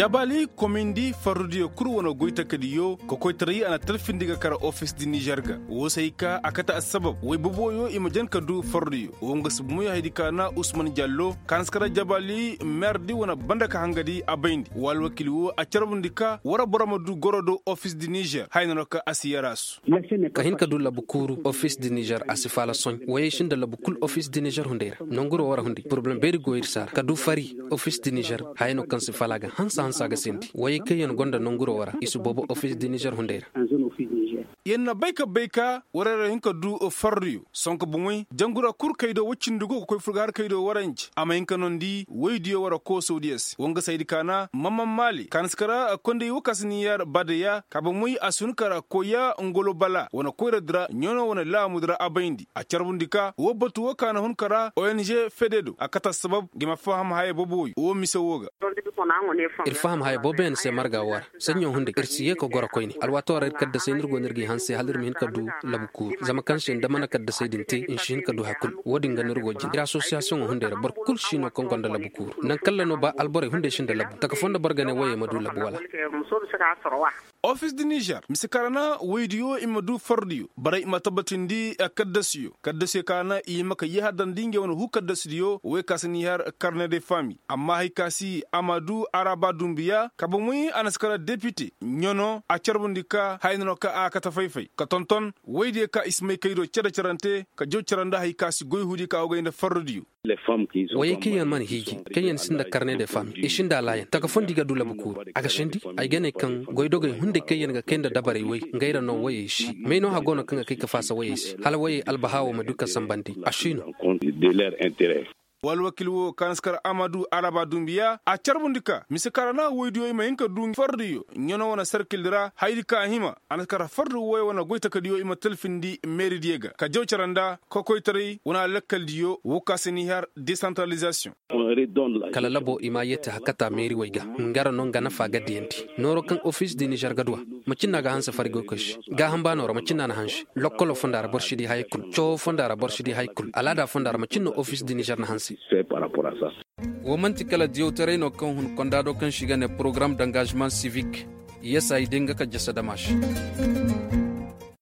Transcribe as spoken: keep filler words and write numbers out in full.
Jabaali komindi farrudiyo kul wane goy takadiyo kokoytaray a na talfindi ga kara ofis di nizer ga. Woo se ay ka a kate assabab woy boboyo i ma jan ka du farrudiyo woo nga si bumoy hayadi ka na usman jallo ka na si kara jabaali meerdi wane banda ka hangadi a bayndi woo alwakil woo a carbundi ka war boro ma du goro do ofis di nizer haya no no ka a si yarasu. Ka hin ka du labu kuuru ofis di nizer a si faala soñ woyey sinda labu kul ofis di nizer hunday ra nonguroo war hunday porobalem beeri go ir se a ra ka du fari ofis di nizer haya no kaŋ si faala ga hanse hanse a ga seendi woyey kaŋ yaŋ gonda nonguroo war ra i si boobo ofis di nizer hunday ra. Yaŋ na bay ka bay ka warey ra hin ka du farriyo sonko bomoy jangura kul kay do woy cindi go ka koy fur ga har kay do warey nce a ma hin ka nondi woydiyo war ra koosawdiyo se woo nga saydi kaana mamman maali kaana si kara kondey woo ka si niyer badaya ka bomoy a si hun kara koya ngolo bala wane koyradi ra ɲano wane laamudi ra a bayndi a carbundi ka woo batu woo ka na hun kara ong fededo a kate assabab nga i ma faham haya boobo woy woo mise woo ga. Ir faham haya booboyaŋ se marga woo ra saɲɲo hunday ir si yee ka goro koyne alwaatoo ra ir kaddasey no ir go no ir g'i hanse hala ir ma hin ka du labu kuuru zama kaŋ se nda mana kaddasey din te i si hin ka du hay kul woo din ga no ir go jin ir asosiyasiyoŋo hunday ra boro kul si no kaŋ gonda labu kuuru naŋ kalla no ba alborey hunday sinda labu taka foo nda boro ga ne woyey ma du labu wala. Ofis di nizer mise kaŋ ra na woydiyo i ma du fardiyo borey i ma tabbatindi kaddasiyo kaddasiyo kaŋ ra na i hima ka yahadandi ngey wane huu kaddasidiyo woy ka si niher karne de fami amma hari ka si a ma du araba dumbiya ka bomoy a na si kara depite ɲano a carbundi ka haya no no ka a kate fay-fay ka tonton woydiyo ka i si may kaydo care-carante ka jaw cara nda hari ka si goy huudi ka a wogay nda fardiyo. Woyey kaŋ yaŋ mana hiiji kaŋ yaŋ sinda karne de fami i sinda alaayan taka fondi ga du labu kuuru a ga sendi ay ga ne kaŋ goydogey hunday kaŋ yaŋ ga kay nda dabarey woy ngey ra no woyey si may no hagoo no kaŋ ga kay ka faasa woyey se hala woyey albahaa wo ma du ka sanbandi a si no. Woo alwakil woo kaŋ a na si kar amadu araba dumbiya a carbundi ka mise kaŋ ra na woydiyo i ma hin ka du fardiyo ɲano wane sarkildi ra hayadi kaŋ a hima a na si kar fardi woy wane goytakadiyo i ma talfindi meeridiyo ga ka jaw cara nda kokoytaray wane alakkaldiyo woo ka si ni har desantaralizasiyoŋ. Kala labo i ma a yeeti hakata meeri woy ga nga ra no nga nafa ga diyandi nooro kaŋ ofis di nizer ga du a macin no a ga hanse fari goykoy se gaaham baano ra macin no a na hanse lokkolo fonda ra boro si di haya kul cawoo fonda ra boro si di haya kul alaada fonda ra macin no ofis di nizer na hanse. Woo man'ti kala diyawtaray no kaŋ hun konda do kaŋ se i ga ne porogaram dangazimaŋ sivik. Yesa i day nga ka jasa dama se.